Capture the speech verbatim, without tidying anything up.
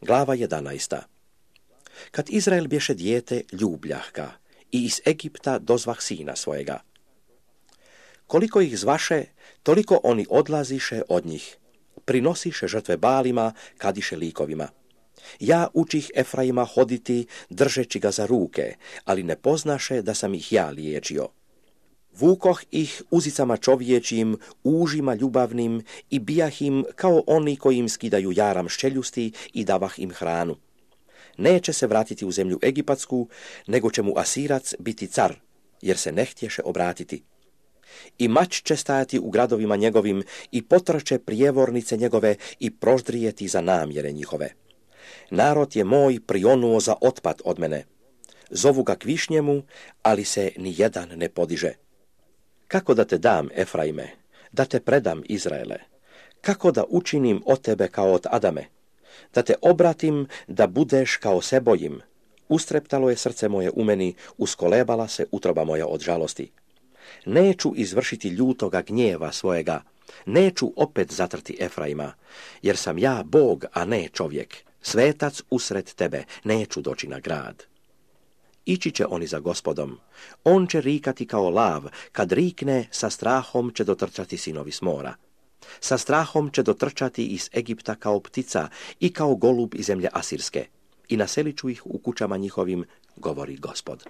Glava jedanaesta. Kad Izrael bješe dijete ljubljahka i iz Egipta dozvah sina svojega. Koliko ih zvaše, toliko oni odlaziše od njih. Prinosiše žrtve Balima, kadiše likovima. Ja učih Efraima hoditi, držeći ga za ruke, ali ne poznaše da sam ih ja liječio. Vukoh ih uzicama čovječim, užima ljubavnim i bijah im kao oni koji im skidaju jaram ščeljusti i davah im hranu. Neće se vratiti u zemlju Egipatsku, nego će mu Asirac biti car, jer se ne htješe obratiti. I mač će stajati u gradovima njegovim i potrče prijevornice njegove i proždrijeti za namjere njihove. Narod je moj prionuo za otpad od mene. Zovu ga k višnjemu, ali se ni jedan ne podiže. Kako da te dam, Efraime, da te predam, Izraele? Kako da učinim od tebe kao od Adame? Da te obratim, da budeš kao Sebojim? Ustreptalo je srce moje u meni, uskolebala se utroba moja od žalosti. Neću izvršiti ljutoga gnjeva svojega, neću opet zatrti Efraima, jer sam ja Bog, a ne čovjek, svetac usred tebe, neću doći na grad. Ići će oni za Gospodom, on će rikati kao lav, kad rikne, sa strahom će dotrčati sinovi s mora. Sa strahom će dotrčati iz Egipta kao ptica i kao golub iz zemlje Asirske, i naselit ću ih u kućama njihovim, govori Gospod.